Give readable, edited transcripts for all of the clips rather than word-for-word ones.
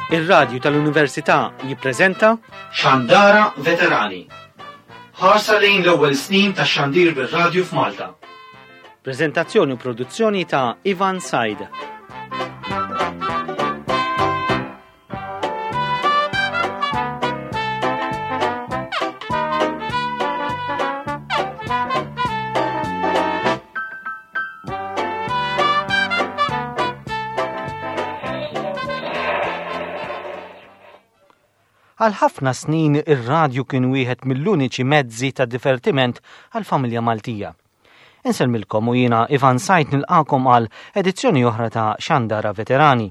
Ir-Radju tal-Università jippreżenta Xandara Veterani. Ħarsa lejn l-ewwel snin tax-xandir bir-radju f'Malta. Preżentazzjoni u produzzjoni ta' Ivan Said. Għal ħafna snin ir-radju kien wieħed mill-uniċi mezzi ta' divertiment għall-familja Maltija. Insellmilkom u jiena Ivan Sajt nilqakom għal edizzjoni oħra ta' Xandara Veterani.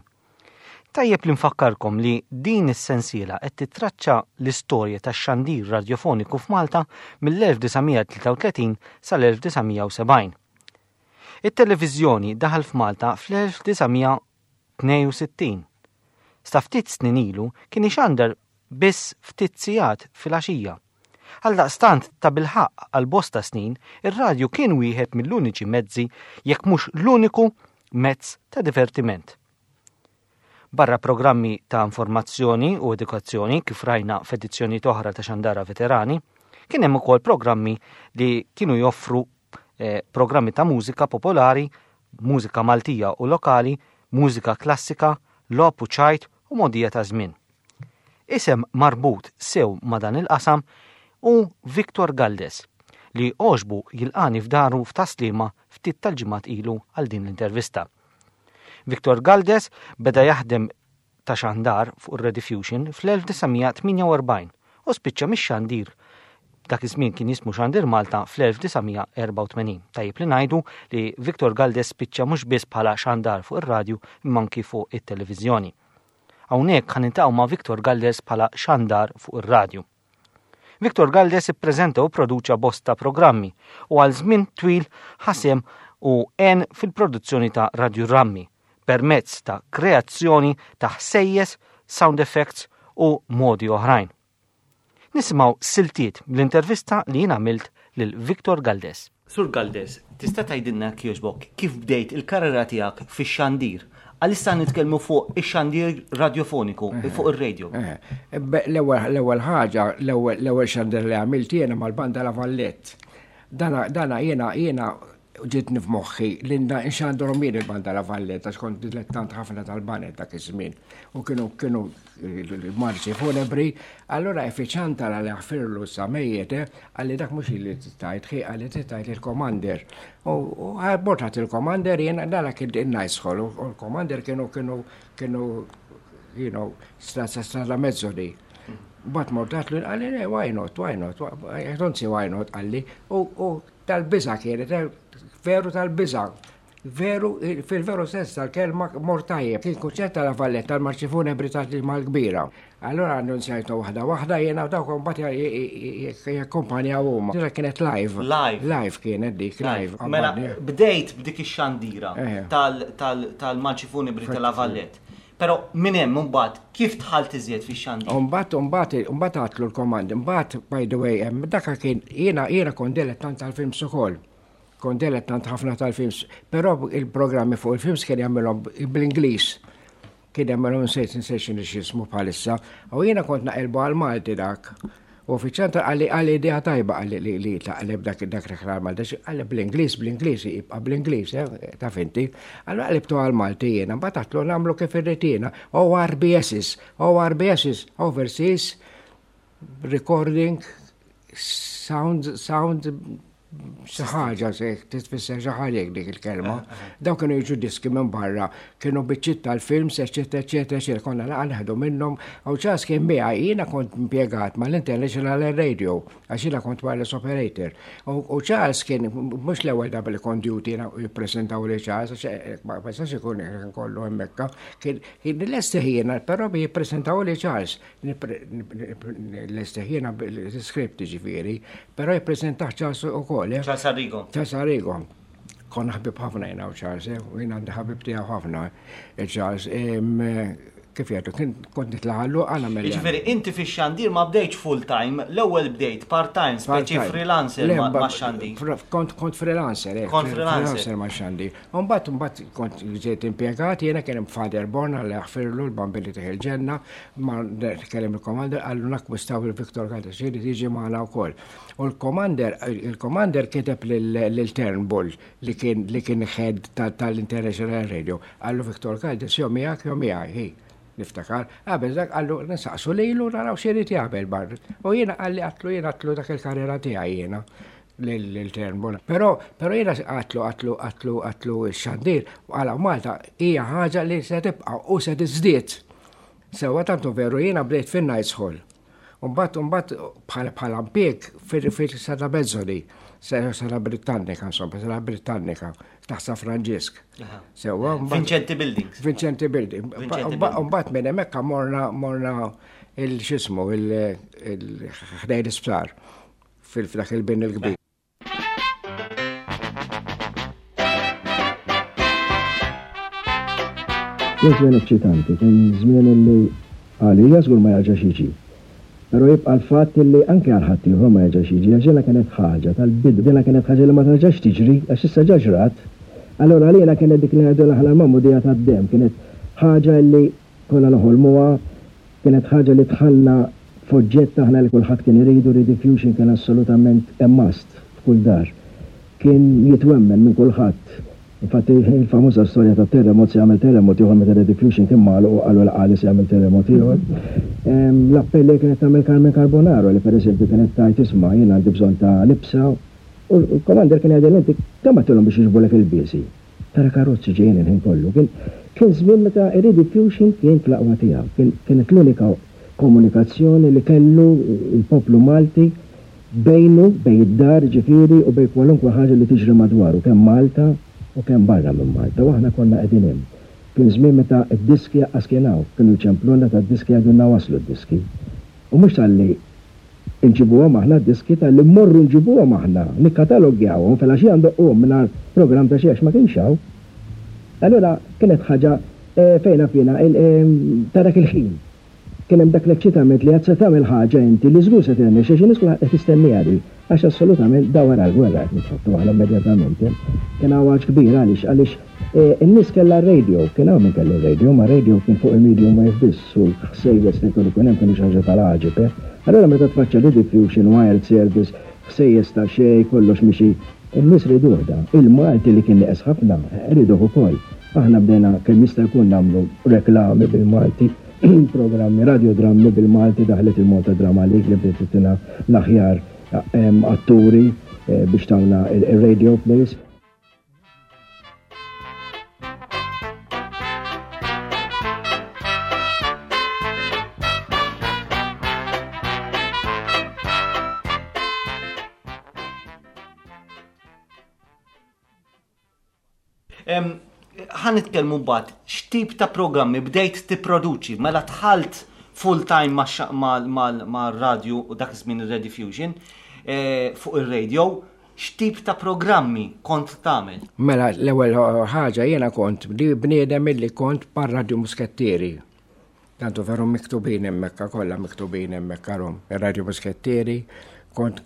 Tajjeb li nfakkarkom li din is-sensiela qed titraċċa l-istorja tax-xandir radjofoniku f'Malta mill-1933 sal-1970. It-televiżjoni daħal f'Malta fl-1962. Sa ftit snin ilu kien ixandar biss ftit sigħat filgħaxija. Għaldaqstant tabilħaqq għal bosta snin ir-radju kien wieħed mill-uniċi mezzi jekk mhux l-uniku mezz ta' divertiment. Barra programmi ta' informazzjoni u edukazzjoni kif rajna f'edizzjonijiet oħra ta' Xandara Veterani, kien hemm ukoll programmi li kienu joffru eh, programmi ta' mużika popolari, mużika Maltija u lokali, mużika klassika, logħob u ċajt u mogħdija ta' żmien. Isem marbut sew ma' dan il-qasam hu Victor Galdes, li għoġbu jilqagħni f'daru f'Tas-Sliema ftit tal-ġimgħat ilu għal din l-intervista. Victor Galdes beda jaħdem ta' xandar fuq ir-Rediffusion fl-1948 u spiċċa mix-xandir dak iż-żmien kien jismu Xandir Malta fl-1984. Tajjeb li ngħidu li Victor Galdes spiċċa mhux biss bħala xandar fuq ir-radju imma anki fuq it-televiżjoni. Hawnhekk ħa niltaqgħu ma' Victor Galdes bħala xandar fuq ir-radju. Victor Galdes ippreżenta u pproduċa bosta programmi u għal żmien twil ħa sehem u għen fil-produzzjoni ta' radjurammi permezz ta' kreazzjoni ta' ħsejjes, sound effects u modi oħrajn. Nisimgħu siltiet mill-intervista li jien għamilt lil Victor Galdes. Sur Galdes, tista' tgħidilna jekk jogħġbok kif bdejt il-karriera tiegħek fix-xandir? Għalissa nitkellmu fuq ix-xandir radjofoniku, fuq ir-radio. L-ewwel ħaġa, l-ewwel xandir li għamilt jiena mal-banda La Vallette. Dana jiena jiena ġietni f'moħħi li nxandrhom jien il-banda La Valletta għax kont dilettant ħafna tal-baned dak iż-żmien u kienu kienu marċi funebri, allura effiċanta li ħfirlu sa mejjet, eh, għalli dak mhux li tajt, ħi għalli tajt il-commander. U bortat il-commander jiena dala kien in-nice hall u l-commander kienu kienu kienu you know, strada strada mezzo di. Bat mortat li għalli, why not, why not, I don't see why not, għalli, u Tal-biża' kienet, veru tal-biża'. Veru, fil-veru sens tal-kelma mor tajjeb. Kien kunċert ta' La Valletta tal-Marċi Funebri tal-Ġimgħa l-Kbira. Allura annunzjajtu waħda waħda jiena u dawk imbagħad jakkumpanjaw huma. Dira kienet live. Live. Live kienet dik, live. Mela bdejt b'dik ix-xandira tal-Marċi Funebri ta' La Vallette. Però minn hemm imbagħad kif dħalt iżjed fix-xandir? Imbagħad imbagħad imbagħad għatlu l-komand. Imbagħad by the way hemm daka kien jiena jiena kont dilettant tal-films ukoll. Kont dilettant ħafna tal-films, però il-programmi fuq il-films kien jagħmilhom bl-Ingliż. Kien jagħmilhom nsejt nsejt x'inhu x'ismu bħalissa. U jiena kont naqilbu għal-Malti dak. U fiċ-ċentru qalli qalli idea tajba qalli li li taqleb dak dak reklam Malti. Qalli bl-Ingliż bl-Ingliż jibqa' bl-Ingliż, eh, taf inti. Allura qlibtu għal Malti jiena, mbagħad għatlu nagħmlu kif irrid jiena. ORBSs, ORBSs, Overseas Recording Sound Sound xi ħaġa se titfisser xi ħaġa jekk dik il-kelma. Eh, eh. Daw kienu jiġu diski minn barra, kienu biċċiet tal-films, eċetera, eċetera, eċetera, konna laqa neħdu minnhom. U ċas kien miegħi jiena kont impjegat mal-International Radio, għax jiena kont wireless operator. U Charles kien mhux l-ewwel darba li kont duty jiena jippreżentaw li Charles, għax eh, ma jistax ikun kollu hemmhekk. Kien lesti jiena, però jippreżentaw li Charles. L-esteħ jiena l-script ġifieri, però jippreżentaħ Charles ukoll. Eh? Charles Arrigo. Charles Arrigo. Konna ħbib ħafna jiena u Charles, eh? u jiena għandi ħabib tiegħu ħafna, eh, Charles. Kif jgħidu, kien kont nitla' ħallu għana mela. Jiġifieri inti fix-xandir ma bdejtx full time, l-ewwel bdejt part time, speċi freelancer ma' xandir. Kont kont freelancer, eh. Kont freelancer. Freelancer ma' xandir. Mbagħad mbagħad kont ġejt impjegat jiena kien hemm Father Born għal jaħfirlu l-bambini tih il-ġenna, ma kellem il-commander qallu nakkwistaw il-Victor Caldas irid jiġi magħna wkoll. U l-commander il-commander kiteb lil Turnbull li kien li kien head tal-International Radio, qallu Victor Caldes jew miegħek jew miegħi, hi, niftakar, qabel dak qallu nsaqsu lilu naraw x'irid jagħmel bar. U jiena qalli għatlu jiena għatlu dak il-karriera tiegħi jiena lil Turnbull. Però però jiena għatlu għatlu għatlu għatlu x-xandir għala Malta hija ħaġa li se tibqa' u se tiżdied. Sewwa tantu veru jiena bdejt fin-Nights Hall. Umbat, umbat bħala bħala mpieg fil-Sala Bezzoli, Sala Britannika, insomma, Sala Britannika, taħt San Franġisk. Sewa, Vincenti Buildings. Vincenti Building. Umbat minn hemmhekk morna morna il-xismu il-ħdejn l-isptar fil-dak il-bin il-kbir. Kien żmien eċċitanti, kien żmien illi għalija żgur ma jerġax jiġi. Però jibqa' l-fatt illi anke għal ħaddieħor ma jerġax jiġi għax dina kienet ħaġa tal-bidu, dina kienet ħaġa li ma terġax tiġri għax issa ġa ġrat. Allura għalina kienet dik li ngħidulha aħna l-magħmudija tad-demm, kienet ħaġa illi konna noħolmuha, kienet ħaġa li dħalna f'oġġett aħna li kulħadd kien iridu, Rediffusion kien assolutament a must f'kull dar. Kien jitwemmen minn kulħadd. Infatti il-famuża storja tat-terremot se jagħmel terremot ieħor meta Rediffusion kien magħluq u qalu l-qali se jagħmel terremot ieħor. L-appelli li kienet tagħmel Carmen Carbonaro li pereżempju kienet tgħid isma' jien għandi bżonn ta' libsa u l-commander kien jgħidilha inti kemm għedtilhom biex jiġbulek il-biesi? Tara karozzi ġejjin il-ħin kollu. Kien kien żmien meta ir-rediffusion kien fl-aqwa tiegħu. Kien kienet l-unika komunikazzjoni li kellu l-poplu Malti bejnu, bejn id-dar jiġifieri u bejn kwalunkwe ħaġa li tiġri madwaru, kemm Malta u kemm barra minn Malta. U aħna konna qegħdin hemm. Kien żmien meta d-diski aqqas kien hawn. Kienu jċemplulna tad-diski jgħidulna waslu d-diski. U mhux talli Inġibuhom aħna d-diski talli mmorru nġibuhom aħna, nikkatalogjawhom, filgħaxija ndoqquhom mingħajr programm ta' xejn għax ma kienx hawn. Allura kienet ħaġa fejn naf jiena ta' dak il-ħin. Kien hemm dak l-eċċitament li għad se tagħmel ħaġa inti li żgur se tirnexxi għax in-nies kulħadd qed jistenniha di. Għax assolutament da wara l-gwerra qed nitħaddtu aħna immedjatament. Kien hawn għatx kbir għaliex? Għaliex In-nies kellha r-radio, kien hawn min kellu r-radio, imma r-radio kien fuq il-medium wave biss u l-ħsejjes li kienu jkun hemm kienu xi ħaġa tal-għaġeb, eh. Allura meta tfaċċa Rediffusion, wired service, ħsejjes ta' xejn, kollox mixi, in-nies riduh dan. Il-Malti li kien nieqes ħafna, riduh ukoll. Aħna bdejna kemm jista' jkun nagħmlu reklami bil-Malti, programmi, radiodrammi bil-Malti, daħlet il-Malta Drama League li bdiet ttina l-aħjar atturi biex tawna il-radio plays. Ħa nitkellmu mbagħad x'tip ta' programmi bdejt tipproduċi mela dħalt full time ma' radju u dak iż-żmien ir-Rediffusion eh, fuq ir-radio x'tip ta' programmi kont tagħmel? Mela l-ewwel ħaġa jiena kont bniedem illi kont par Radio Muskettieri. Tantu veru miktubin hemmhekk kollha miktubin hemmhekk rom. Ir-Radio Muskettieri kont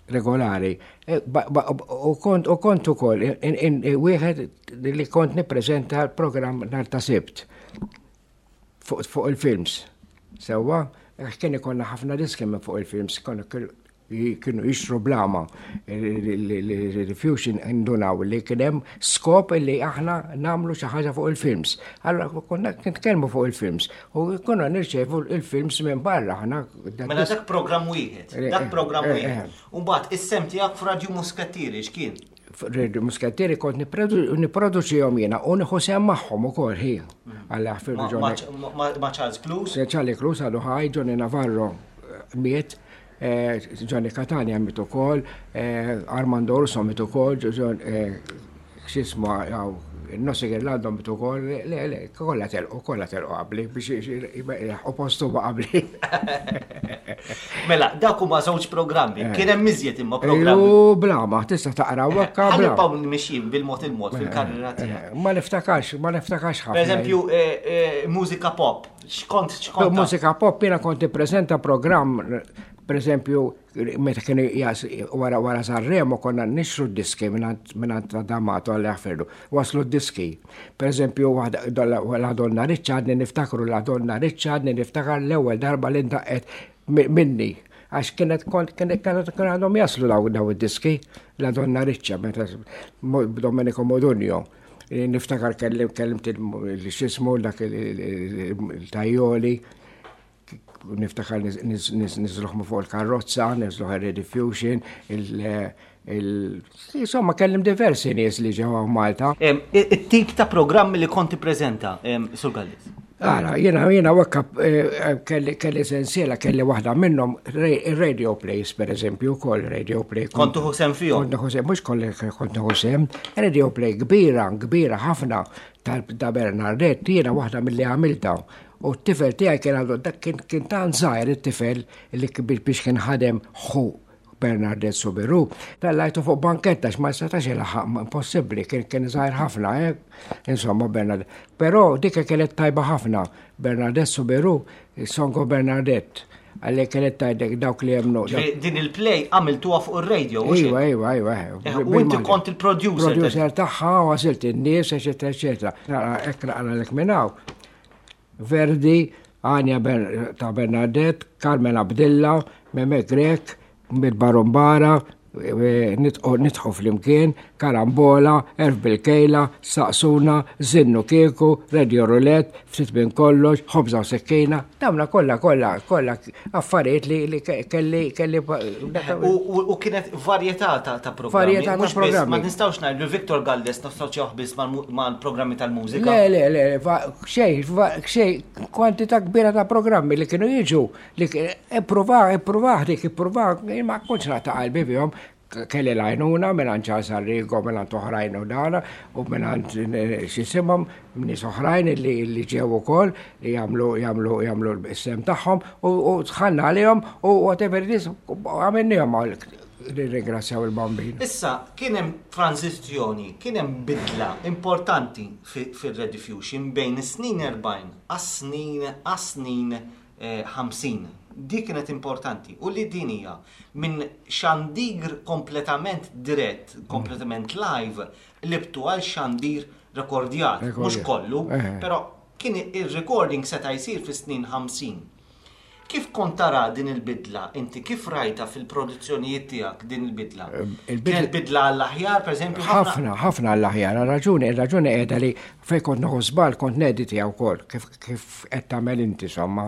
regolari. E, u kont u kont ukoll wieħed li kont nippreżenta l-programm nhar ta' Sibt fuq il-films. Sewwa, kien ikollna ħafna diski minn fuq il-films, kienu jixtru blama il-Rediffusion indunaw li kien hemm skop li aħna nagħmlu xi ħaġa fuq il-films. Allora konna nitkellmu fuq il-films u konna nirċevu il-films minn barra aħna. Mela dak programm wieħed, dak programm eh, eh, wieħed. Eh. U mbagħad is-sem tiegħek f'Radju Muskattieri x'kien? Radio Muskattieri kont nipproduċihom jiena u nieħu sehem magħhom ukoll hi. Għalla Ma Charles Clues? Charlie Clues għadu ħaj, Johnny Navarro miet Eh, Johnny Catania miet ukoll, eh, Armando Urso miet ukoll, eh, x'ismu għaw, Nossi Girlando miet ukoll, le, le, kollha telqu, kollha telqu qabli biex u postu qabli. Mela, dak huma żewġ programmi, kien hemm iżjed imma programmi. U blama, tista' taqra wakka. Ħalli mixjin bil-mod il-mod fil-karriera tiegħek. Ma niftakarx, ma niftakarx ħafna. Per eżempju, mużika pop. X'kont x'kont? Mużika pop jiena kont nippreżenta programm pereżempju meta kienu wara wara Sanremo konna nixtru d-diski mingħand D'Amato għal jaħfirlu. Waslu d-diski. Pereżempju la Donna Riccia għadni niftakru la Donna Riccia għadni niftakar l-ewwel darba li ndaqqet minni għax kienet kont kienet kienet għandhom jaslu daw daw id-diski la Donna Riccia meta Domenico Modugno. Niftakar kellim kellimt il-xismu dak il-tajjoli niftakar niżluħmu fuq il-karrozza, niżluħ il-rediffusion, il Insomma, kellim diversi nies li ġew Malta. It-tip ta' programmi li konti prezenta, Sur Gallis? Ara, jena, jena wakka eh, kelli, kelli sensiela, kelli waħda minnhom radio plays, per eżempju, kol radio play. Kontu ħusem fihom? Kontu ħusem, mhux kolli kontu ħusem. Radio play kbira, kbira ħafna ta' Bernardet, jiena waħda mill-li għamilta. U t-tifel tiegħi kien għandu dak kien kien tant żgħir it-tifel li biex kien ħadem ħu Bernardet Soubirous, tellajtu fuq banketta ma setax ilaħaq impossibbli kien kien żgħir ħafna, eh? Insomma Bernard. Però dik kienet tajba ħafna Bernardet Soubirous, Song of Bernadette għalli kienet tajdek dawk li jemnu. Din il-play għamiltuha fuq ir-radio. Iva, iva, iva. Eh, u inti kont il-producer. Producer tagħha u għażilt in-nies, eċetera, eċetera. Hekk naqra lek minn hawn. Verdi, Anja ta' Bernadette, Carmen Abdilla, Meme Grech, Mid-Barumbara, Nidħu Flimkien, Karambola, Erf bil-Kejla, Saqsuna, Żinnu Kieku, Radio Roulette, Ftit Minn Kollox, Ħobża u Sikkina, dawna kollha kollha kollha affarijiet li kelli kelli. U kienet varjetà ta' programmi. Varjetà ta' programmi. Ma nistgħux ngħidu Victor Galdes nassoċjawh biss mal-programmi tal-mużika. Le, le, le, xejn, xejn, kwantità kbira ta' programmi li kienu jiġu, li ippruva, ippruva, dik ippruva, ma kontx naqta' qalbi bihom, kelli l-għajnuna mingħand Charles Arrigo, mingħand oħrajn u dana, u mingħand eh, x'isimhom nies oħrajn li, li ġew ukoll li jagħmlu jagħmlu jagħmlu l-sem tagħhom u dħalna għalihom u whatever it is għamilnihom nirringrazzjaw il-Bambin. Issa, kien hemm tranżizzjoni, kien hemm bidla importanti fir-Rediffusion bejn is-snin 40 għas-snin għas-snin 50. Dik kienet importanti u li din hija minn xandir kompletament dirett, kompletament live, qlibtu għal xandir rekordjat, mhux kollu, però kien ir-recording seta' jsir fis-snin 50. Kif kont tara din il-bidla inti? Kif rajtha fil-produzzjonijiet tiegħek din il-bidla? Kienet bidla għall-aħjar, pereżempju? Ħafna, ħafna għall-aħjar. Raġuni, ir-raġuni qiegħda li fejn kont nieħu żball kont neditija wkoll, kif kif qed tagħmel inti somma.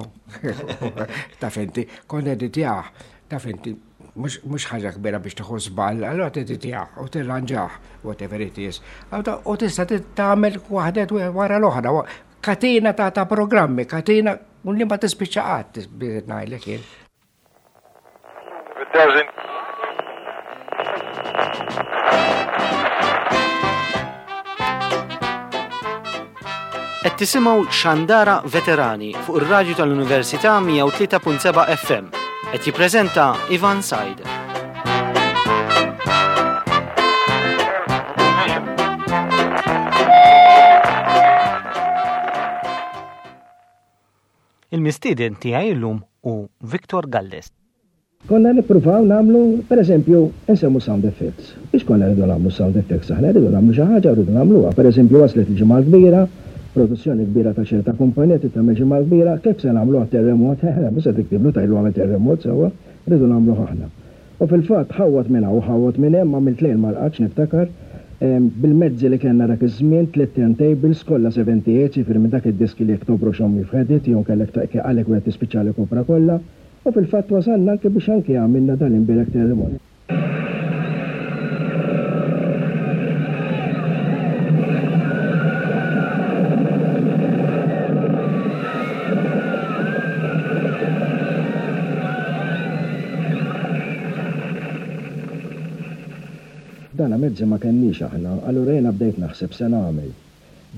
Taf inti, kont neditijah, taf inti, mhux ħaġa kbira biex tieħu żball, allura teditijah u tirranġah, whatever it is. U tista' tagħmel waħdet wara l-oħra. Katina ta' ta' programmi, katina u li ma tispiċċa qatt biex ngħidlek jien. It doesn't. Qed tisimgħu Xandara Veterani fuq ir-radju tal-Università 103.7 FM. Qed jippreżenta Ivan Said. Il-mistieden tiegħi llum hu Victor Galdes. Konna nippruvaw nagħmlu, per eżempju, insemmu sound effects. Biex konna rridu nagħmlu sound effects aħna rridu nagħmlu xi ħaġa u rridu nagħmluha. Per eżempju, waslet il-Ġimgħa l-Kbira, produzzjoni kbira ta' ċerta kumpanija trid tagħmel Ġimgħa l-Kbira, kif se nagħmluha terremot? Eħe, mhux se tiktiblu tgħidlu agħmel terremot sewwa, rridu nagħmluh aħna. U fil-fatt ħawwad minn hawn u ħawwad minn hemm, għamilt lejl ma rqadtx niftakar, bil-mezzi li kellna dak iż-żmien, tliet turntables, kollha 78, jiġifieri minn dak id-diski li jekk tobroxhom you've had it, jew kellek għalhekk wieħed tispiċċalek opra kollha. U fil-fatt wasalna anke biex anke għamilna dan l-imbierek terremot. Dana mezzi ma kenniex aħna, allura jiena bdejt naħseb se nagħmel.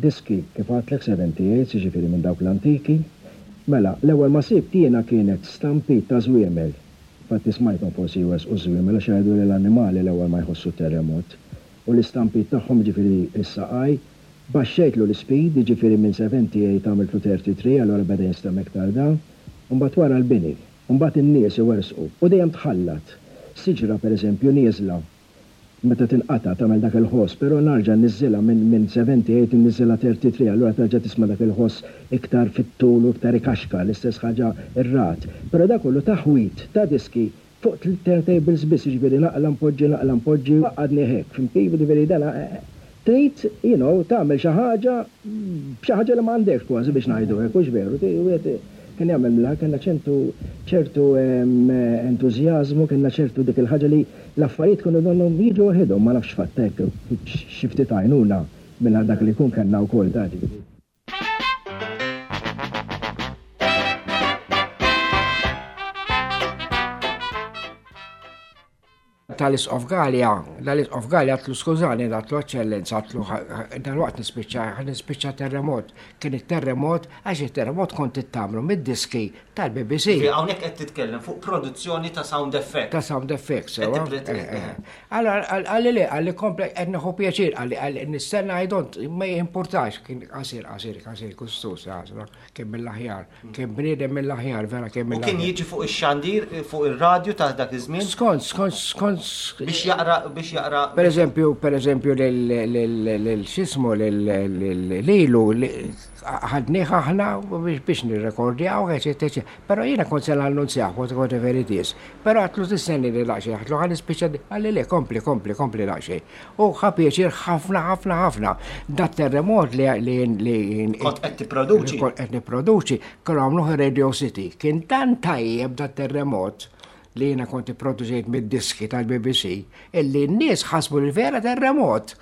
Diski, kif għadtlek 78, jiġifieri minn dawk l-antiki. Mela, l-ewwel ma sibt jiena kienet stampit ta' żwiemel. Infatti smajthom forsi jwerżqu ż-żwiemel għax jgħidu li l-annimali l-ewwel ma jħossu t-terremot. U l-istampit tagħhom, jiġifieri s-saqaj. Baxxejtlu l-ispeed, jiġifieri minn 78 għamiltlu 33 allura beda jinstema' iktar da. U mbagħad wara l-bini. U mbagħad in-nies iwerżqu. U dejjem tħallat. Siġra pereżempju nieżla meta tinqata' tagħmel dak il-ħoss, però narġa' nniżżilha minn minn 78 inniżżilha 33 allura terġa' tisma' dak il-ħoss iktar fit-tul u iktar ikaxkar, l-istess ħaġa r-ragħad. Però dak kollu taħwid ta' diski fuq turntables biss, jiġifieri naqla' npoġġi, naqla' npoġġi, għaqqadni hekk, fhimt kif? Jiġifieri dan trid, you know, tagħmel xi ħaġa b'xi ħaġa li m'għandekx kważi biex ngħidu hekk, hux veru? Wieħed kien jagħmel mill-aħħar, kellna ċentu ċertu entużjażmu, kellna ċertu dik il-ħaġa li l-affarijiet kienu donnhom jiġu waħedhom, ma nafx fatt hekk, xi ftit għajnuna mingħand dak li jkun kellna wkoll ta' ġifieri. Tal-Isqof Galea, dal-Isqof Galea għatlu skużani, għatlu eċċellenza, għatlu dal-waqt nispiċċa, nispiċċa terremot. Kien it-terremot, għax it-terremot kont tittamlu mid-diski tal-BBC. Hawnhekk qed titkellem fuq produzzjoni ta' sound effects. Ta' sound effects, sewa. Eh, eh. Allora, għalli le, għalli komple, qed nieħu pjaċir, għalli għalli nistenna I don't, ma jimpurtax, kien qasir, qasir, qasir, kustus, kien mill-aħjar, kien bniedem mill-aħjar, vera kien mill-aħjar. U kien jiġi fuq ix-xandir, fuq ir-radju ta' dak iż-żmien? Skont, skont, skont. Biex jaqra, biex jaqra. Per eżempju, per eżempju, lil x'jismu lilu ħadnieh aħna biex nirrekordjaw, eċetera, Però jiena kont se nannunzjah, whatever it is. Però għatlu tistenni li daqsxejn, għatlu ħa nispiċċa, qalli le, kompli, kompli, kompli daqsxejn. U ħa pjaċir ħafna, ħafna, ħafna. Dat terremot li li Kont qed tipproduċi. Kont qed nipproduċi, kienu għamluh Radio City. Kien tant tajjeb dat terremot li jiena kont ipproduċejt mid-diski tal-BBC illi n-nies ħasbu li vera terremot.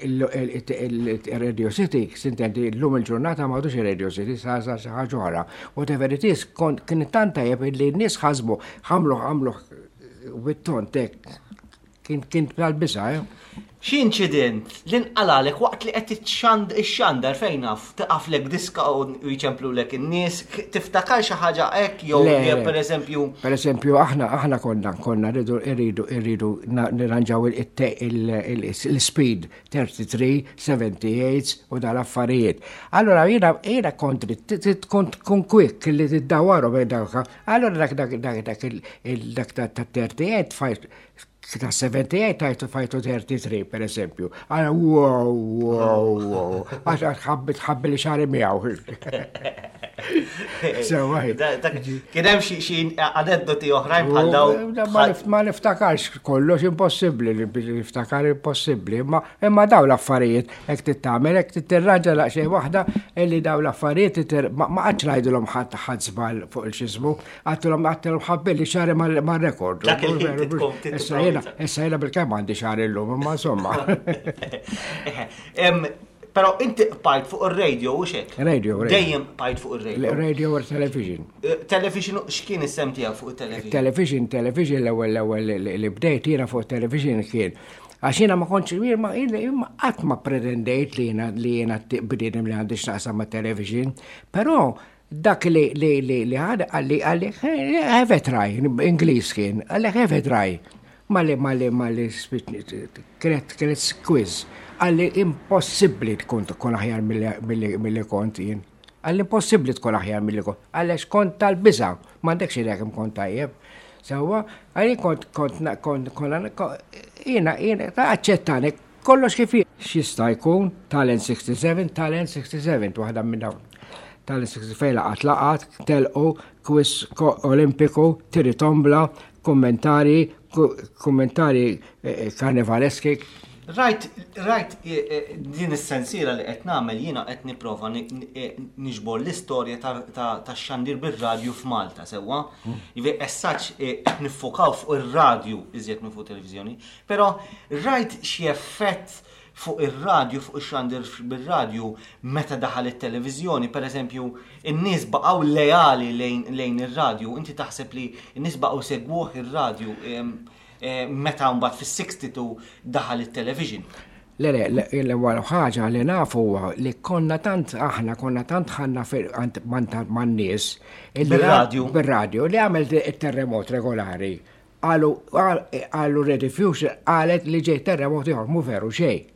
Il-Radio City, sintendi, l-lum il-ġurnata m'għadux il-Radio City, sa sa xi ħaġa oħra. Whatever it is, kien tant tajjeb illi n-nies ħasbu, ħamlu ħamlu bit-tont hekk. Kien tal-biża', eh? Xi inċident li nqalalek waqt li qed ixxandar fejn naf tiqaflek diska u jċemplulek in-nies, tiftakar xi ħaġa hekk jew pereżempju. Pereżempju aħna aħna konna konna rridu rridu rridu nirranġaw il-speed 33, 78 u dal-affarijiet. Allora jiena jiena kont tkun tkun quick li tiddawwarhom dawk. Allora dak dak dak dak dak ta' 38 fajt ta' 78 tajtu fajtu 33 per eżempju. Għara, wow, wow, wow. Għax ħabbi tħabbi li xari miegħu. Sewa. Kien hemm xi aneddoti oħrajn bħal dawn. Ma niftakarx kollox impossibbli li niftakar impossibbli, imma imma daw l-affarijiet hekk tittamel hekk titirranġa daqsxejn waħda illi daw l-affarijiet ma qatx ngħidilhom ħadd ħadd żball fuq il-xismu. Għattilhom għattilhom ħabbilli xari mar-rekord. Dak il-ħin tkun Issa jiena issa jiena bil-kemm għandi xahar illum, imma insomma. Però inti qbajt fuq ir-radio u xek? Radio, radio. Dejjem qbajt fuq ir-radio. Radio or television. Eh, television, x'kien is-sem tiegħek fuq it-television? Television, television l-ewwel l-ewwel li bdejt jiena fuq television kien. Għax jiena ma kontx ma qatt ma pretendejt li jiena li jiena bniedem li għandi x'naqsam ma' television, però Dak li li li li ħad qalli qalli have a try, Ingliż kien, qalli have a try. Malli malli malli kienet kienet quiz. Qalli impossibbli tkun tkun aħjar milli kont jien. Qalli impossibbli tkun aħjar milli kont. Għaliex kont tal-biża', m'għandekx idea kemm kont tajjeb. Sewwa, għalli kont kont kont kont jiena jiena ta' aċċettani Kollox kif hi. X'jista' jkun Talent 67, Talent 67, waħda minn dawn. Talent 67 fejn laqat laqat, telqu, quiz olimpiku, tiri tombla, kummentari, kummentari eh, eh, karnivaleski. Rajt, rajt eh, din is-sensiela li qed nagħmel jiena qed nipprova niġbor l-istorja tax-xandir bir-radju f'Malta sewwa. Hmm. Jiġifieri as such qed niffokaw fuq ir-radju iżjed minn fuq televiżjoni. Però rajt xi effett fuq ir-radju, fuq ix-xandir bir-radju meta daħal it-televiżjoni, pereżempju, in-nies baqgħu leali lejn ir-radju, inti taħseb li n-nies baqgħu jsegwuh ir-radju meta mbagħad fis-62 daħal it-television? Le, le, l-ewwel ħaġa li nafu huwa li konna tant aħna konna tant ħanna man-nies. Bir-radju. Bir-radju li għamel it-terremot regolari. Qalu, qalu Ready Future qalet li ġej terremot ieħor, mhu veru xejn.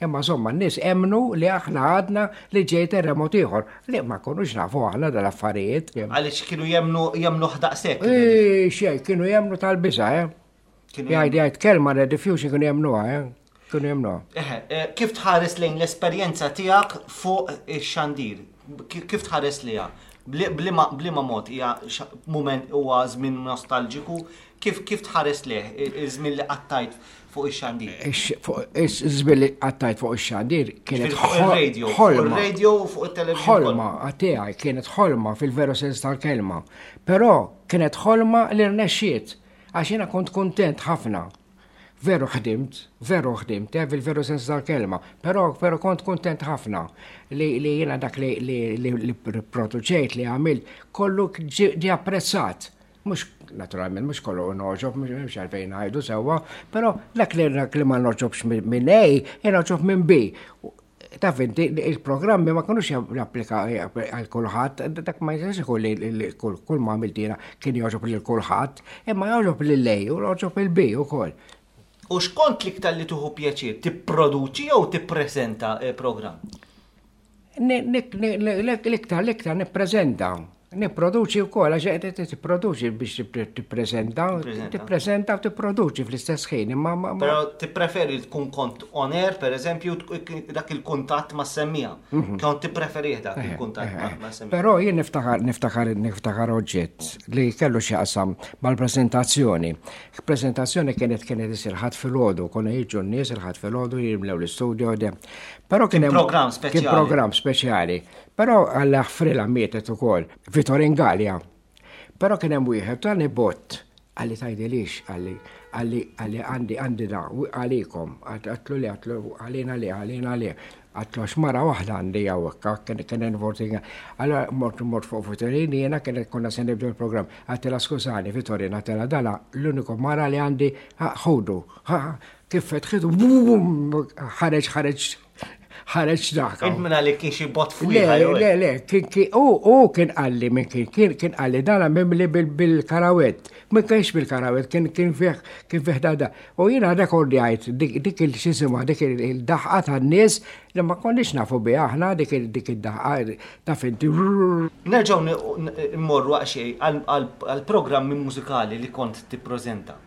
Imma insomma n-nies emmnu li aħna għadna li ġej terremot ieħor, li ma konux nafu aħna dal-affarijiet. Għaliex kienu jemmnu jemmnuh daqshekk? Ej, xejn, kienu jemmnu tal-biża', eh. Jgħid jgħid kelma rediffusion kienu jemmnuha, eh. Kienu jemmnuha. Eħe, eh, kif tħares lejn l-esperjenza tiegħek fuq ix-xandir? Kif tħares liha? Bliema mod hija mument huwa żmien nostalġiku? Kif kif tħares lejh iż-żmien li qattajt fuq ix-xandir? Iż-żmien li qattajt fuq ix-xandir kienet ħolma. Fuq ir-radio u fuq it-television. Ħolma tiegħi kienet ħolma fil-veru sens tal-kelma. Però kienet ħolma li rnexxiet għax jiena kont kuntent ħafna. Veru ħdimt, veru ħdimt, eh, fil-veru sens tal-kelma, però però kont kuntent ħafna li li jiena dak li li li produċejt li għamilt kollu ġie apprezzat. Mhux naturalment mhux kollu nogħġob, mhux għalfejn ngħidu sewwa, però dak li dak li ma nogħġobx minn A, jien minn B. Taf inti, il-programmi ma kinux japplika għal kulħadd, dak ma jistax ikun li kull ma għamilt jiena kien jogħġob lil kulħadd, imma jogħġob lil A u jogħġob il B ukoll. U x'kont l-iktar li tieħu pjaċir, tipproduċi jew tippreżenta programm? L-iktar, l-iktar nippreżenta. Nipproduċi wkoll għax qed tipproduċi biex tippreżenta, tippreżenta u tipproduċi fl-istess ħin. Imma Però tippreferi tkun kont on air, pereżempju, dak il-kuntatt ma' semmija. Mhm. Kont tippreferih dak il-kuntatt ma' semmija. Però jien niftakar niftakar niftakar oġġett li kellu xi qasam mal-preżentazzjoni. Preżentazzjoni kienet kienet isir ħadd filgħodu, konna jiġu n-nies il-ħadd filgħodu jimlew l-istudio. Però kien hemm programm speċjali. Kien programm speċjali. Però Alla ħfrilha mietet ukoll, Vitorin Galea. Però kien hemm wieħed tani bott, qalli tgħidilix, qalli, qalli, qalli għandi għandi da, għalikom, għatlu le, għatlu għalina le, għalina le. Għatlu għax mara waħda għandi hawnhekk, kien kien involt. Allora mort mort fuq Vitorin jiena kien konna se nibdew il-programm. Għattilha skużani Vitorin, għattilha dala l-uniku mara li għandi ħudu. Kif fetħitu, ħareġ ħareġ ħareġ dak. Int minn għalik kien xi bot fuq. Le, le, le, kien u kien qalli minn kien kien kien qalli dana mimli bil-karawett. Ma kienx bil-karawett, kien kien fih kien fih dada. U jiena rekordjajt dik il-xisimha dik il-daħqa tan-nies li ma konniex nafu biha aħna dik id-daħqa ta' finti. Nerġgħu mmorru xejn għall-programmi mużikali li kont tippreżenta.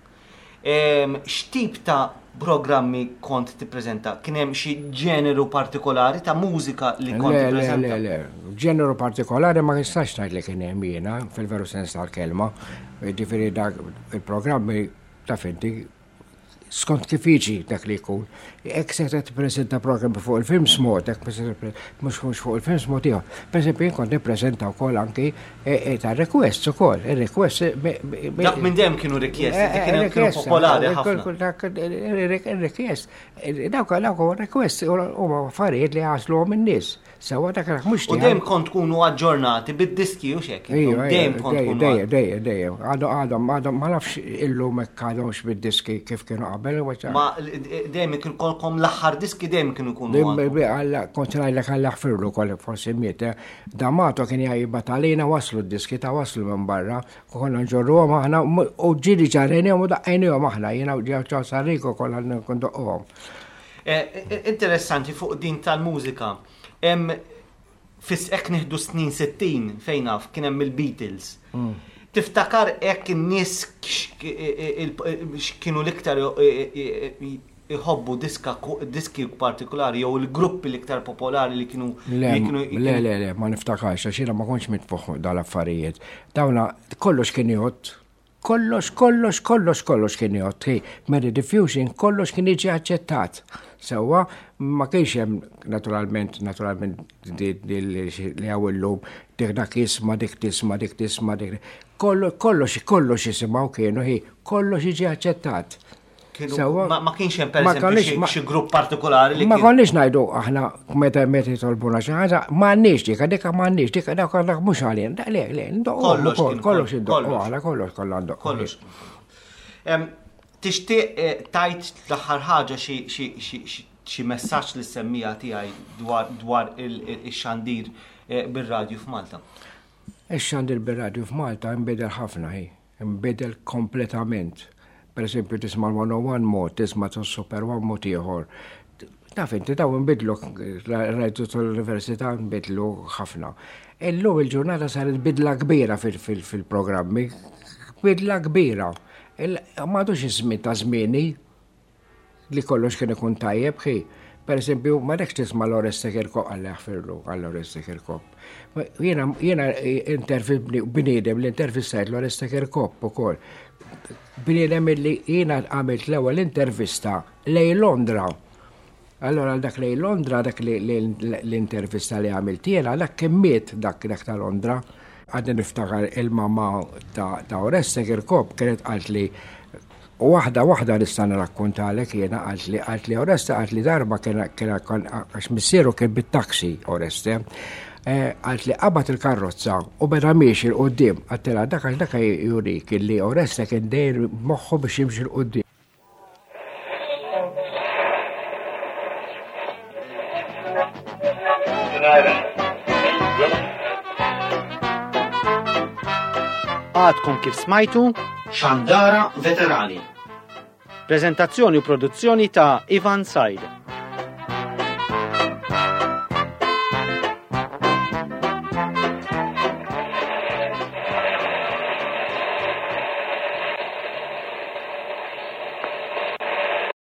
X'tip ta' programmi kont tippreżenta? Kien hemm xi ġeneru partikolari ta' mużika li kont tippreżenta? Le, le, le, ġeneru partikolari ma nistax ngħid li kien hemm jiena fil-veru sens tal-kelma. Jiġifieri dak il-programmi taf inti skont kif jiġi dak li jkun. Hekk se tippreżenta programmi fuq il-films mod, hekk mhux mhux fuq il-films mod ieħor. Pereżempju jien kont nippreżenta wkoll anki e, e, ta' requests ukoll, ir-requests. E, dak minn dejjem kienu rikjesti, eh, kienu kienu popolari ħafna. Rikjest, dawk dawk requests huma affarijiet li għażluhom in-nies. Sewa dak dak mhux U dejjem kont tkunu aġġornati bid-diski u xek. Dejjem kont tkunu. Dejjem, dejjem, dejjem. Għadhom, għadhom, għadhom, ma nafx illum hekk għadhomx bid-diski kif kienu qabel. Ma dejjem kien kolkom l-aħħar diski dejjem kienu jkunu. Alla, kont ngħidlek alla ħfirlu kol forsi miet. Eh. Damato kien jgħibat għalina waslu d-diski ta' waslu minn barra, konna nġorruhom aħna u ġieli ġarrejnihom u daqqejnihom aħna, jiena u ġew Sarrico kollha ndoqquhom. Eh, eh, interessanti fuq din tal-mużika. Fis hekk nieħdu snin 60 fejn naf kien hemm il-Beatles. Mm. Tiftakar hekk in-nies x'kienu l-iktar iħobbu diska diski partikolari jew il-gruppi l-iktar popolari li kienu Le, le, le, le, ma niftakarx għax jiena ma kontx mitfuħ dal-affarijiet. Dawna kollox kien jgħod Kollox, kollox, kollox, kollox kien jgħodd. Hi, Mary Diffusion, kollox kien jiġi aċċettat. Sewwa, ma kienx hemm naturalment, naturalment li hawn illum dik dak jisma', dik tisma', dik tisma', dik. Kollox, kollox jisimgħu kienu, hi, kollox jiġi aċċettat. Ma kienx hemm pereżempju xi grupp partikolari li. Ma konniex ngħidu aħna meta meta jitolbuna xi ħaġa, m'għandniex dik, dik m'għandniex dik, dak dak mhux għalina. Le, le, kollox kollox indoqqu aħna kollox kollha ndoqqu. Kollox. Tixtieq eh, tajt l-aħħar ħaġa xi messaġġ li semmija tiegħi dwar ix-xandir eh, bir-radju f'Malta? Ix-xandir bir-radju f'Malta nbidel ħafna hi. Inbidel kompletament. Per eżempju, tisma' l-101 mod, tisma' tas-Super One mod ieħor. Taf inti daw nbidlu rajtu tal-università nbidlu ħafna. Illum il-ġurnata saret bidla kbira fil-programmi, bidla kbira. M'għadux iż-żmien ta' żmieni li kollox kien ikun tajjeb ħi. Per eżempju, ma dekx tisma' l-Oreste Kirkop għalla jaħfirlu għall-Oreste Kirkop. Jiena jiena bniedem li intervistajt l-Oreste Kirkop ukoll. Bniedem li jiena għamilt l-ewwel intervista lej Londra. Allora dak lej Londra, dak l-intervista li għamilt jiena, dak kien miet dak dak ta' Londra. Għadni niftakar il-mama ta' Oreste Kirkop kienet qalt li waħda waħda nista' nirrakkontalek jiena qalt li qalt li Oreste qalt li darba kien għax missieru kien bit-taxi Oreste. Eh, qalt li qabad il-karrozza u beda miexi 'l quddiem għattilha dak għax dak jurik li Oreste kien dejjem moħħu biex jimxi 'l quddiem. Għadkom kif smajtu Xandara Veterani. Prezentazzjoni u produzzjoni ta' Ivan Said.